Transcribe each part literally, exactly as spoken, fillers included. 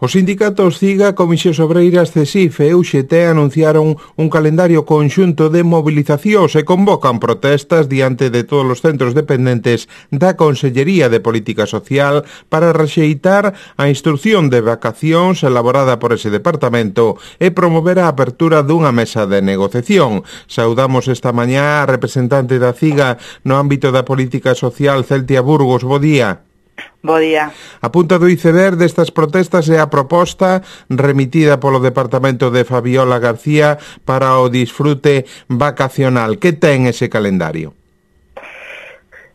Os sindicatos CIGA, Comisións Obreiras, CESIF e U G T anunciaron un calendario conxunto de mobilizacións e convocan protestas diante de todos os centros dependentes da Consellería de Política Social para rexeitar a instrucción de vacacións elaborada por ese departamento e promover a apertura dunha mesa de negociación. Saudamos esta mañá a representante da CIGA no ámbito da política social, Celtia Burgos. Bo día. Bo día. A punta do iceberg destas protestas é a proposta remitida polo Departamento de Fabiola García para o disfrute vacacional. Que ten ese calendario?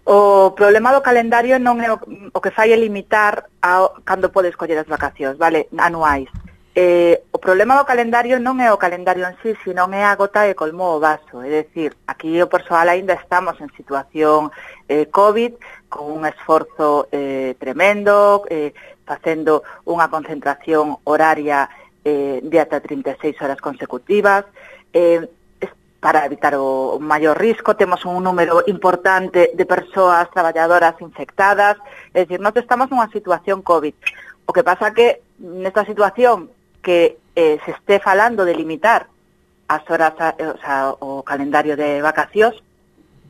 O problema do calendario non é o, o que fai é limitar a cando podes coller as vacacións, vale, anuais. Eh, o problema do calendario non é o calendario en sí, sino é a gota que colmou o vaso. É dicir, aquí o persoal aínda estamos en situación eh, COVID, con un esforzo eh, tremendo, eh, facendo unha concentración horaria eh, de ata trinta e seis horas consecutivas, eh, para evitar o maior risco. Temos un número importante de persoas traballadoras infectadas, é dicir, nós estamos nunha situación COVID. O que pasa que nesta situación que eh, se esté falando de limitar as horas, o, sea, o calendario de vacacións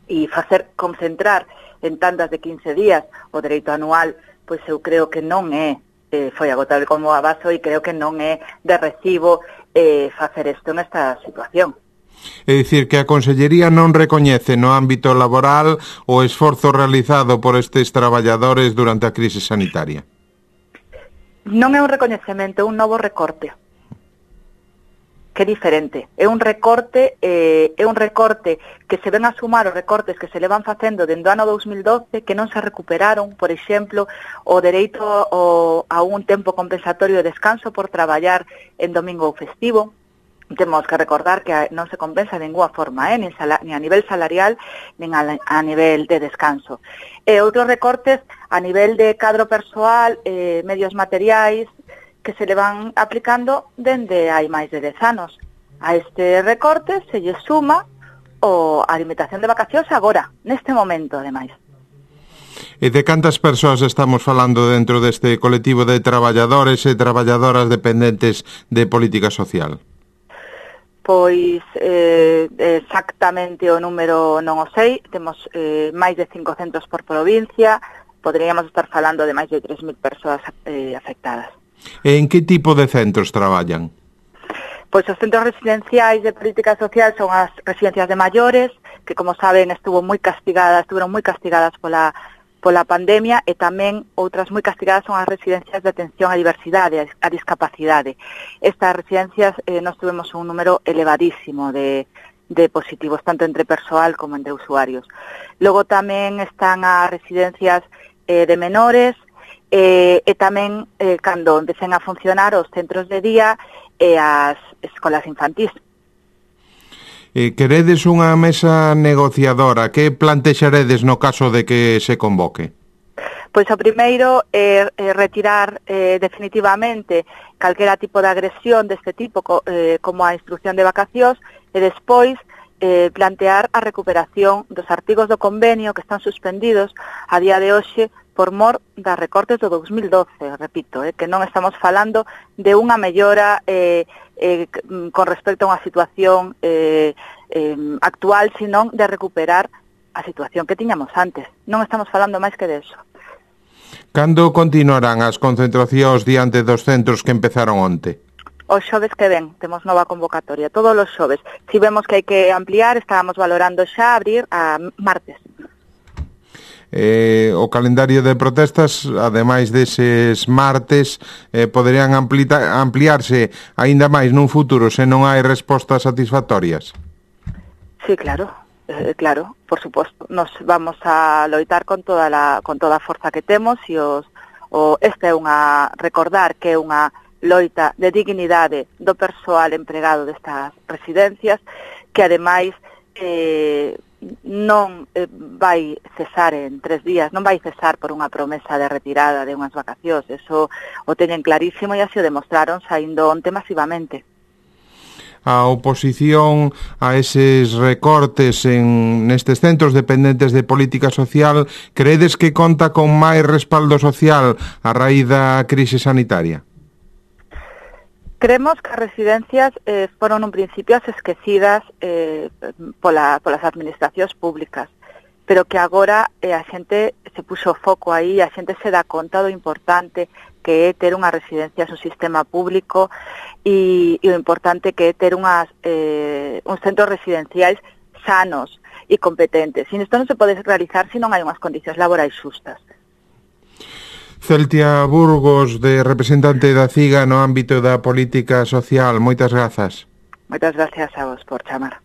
e facer concentrar en tandas de quince días o dereito anual, pois eu creo que non é eh, foi agotable como a vaso e creo que non é de recibo eh, facer isto nesta situación. É dicir, que a Consellería non recoñece no ámbito laboral o esforzo realizado por estes traballadores durante a crise sanitaria. Non é un recoñecemento, é un novo recorte. Que é diferente. É un recorte, eh, é un recorte que se ven a sumar os recortes que se le van facendo dende o ano dos mil doce, que non se recuperaron, por exemplo, o dereito o, a un tempo compensatorio de descanso por traballar en domingo ou festivo. Temos que recordar que non se compensa de ninguna forma, eh, nin, sala, nin a nivel salarial, nin a, a nivel de descanso. E outros recortes a nivel de cadro persoal, eh, medios materiais, que se le van aplicando dende hai máis de dez anos. A este recorte se lle suma o a limitación de vacacións agora, neste momento, ademais. E de cantas persoas estamos falando dentro deste colectivo de traballadores e traballadoras dependentes de política social? Pois eh, exactamente o número non o sei, temos eh, máis de cinco centros por provincia, poderíamos estar falando de máis de tres mil persoas eh, afectadas. E en que tipo de centros traballan? Pois os centros residenciais de política social son as residencias de maiores, que como saben estuvo moi castigadas, estuveron moi castigadas pola pola pandemia, e tamén outras moi castigadas son as residencias de atención á diversidade, á discapacidade. Estas residencias eh, nós tuvemos un número elevadísimo de, de positivos, tanto entre persoal como entre usuarios. Logo tamén están as residencias eh, de menores, eh, e tamén eh, cando empecen a funcionar os centros de día e as escolas infantís. Eh, queredes unha mesa negociadora? Que plantexaredes no caso de que se convoque? Pois o primeiro é eh, retirar eh, definitivamente calquera tipo de agresión deste tipo co, eh, como a instrucción de vacacións, e despois eh, plantear a recuperación dos artigos do convenio que están suspendidos a día de hoxe por mor das recortes do dos mil doce, repito, eh, que non estamos falando de unha mellora eh, eh, con respecto a unha situación eh, eh, actual, sino de recuperar a situación que tiñamos antes. Non estamos falando máis que de eso. Cando continuarán as concentracións diante dos centros que empezaron onte? Os xoves que ven, temos nova convocatoria, todos os xoves. Si vemos que hai que ampliar, estábamos valorando xa abrir a martes. Eh, o calendario de protestas, ademais deses martes, eh, poderían amplita, ampliarse aínda máis nun futuro se non hai respostas satisfactorias? Sí, claro, eh, claro, por suposto. Nos vamos a loitar con toda la, con toda a forza que temos, e os, o, este é unha, recordar que é unha loita de dignidade do persoal empregado destas residencias, que ademais eh, non eh, vai cesar en tres días, non vai cesar por unha promesa de retirada de unhas vacacións. Eso o teñen clarísimo e así o demostraron saindo onte masivamente. A oposición a eses recortes en nestes centros dependentes de política social, credes que conta con máis respaldo social a raíz da crise sanitaria? Creemos que as residencias eh, foron un principio as esquecidas eh, pola, polas administracións públicas, pero que agora eh, a xente se puxo foco aí, a xente se dá conta do importante que é ter unhas residencias un sistema público e, e o importante que é ter unhas, eh, uns centros residenciais sanos e competentes. E isto non se pode realizar se non hai unhas condicións laborais xustas. Celtia Burgos, de representante da CIGA no ámbito da política social. Moitas grazas. Moitas gracias a vos por chamar.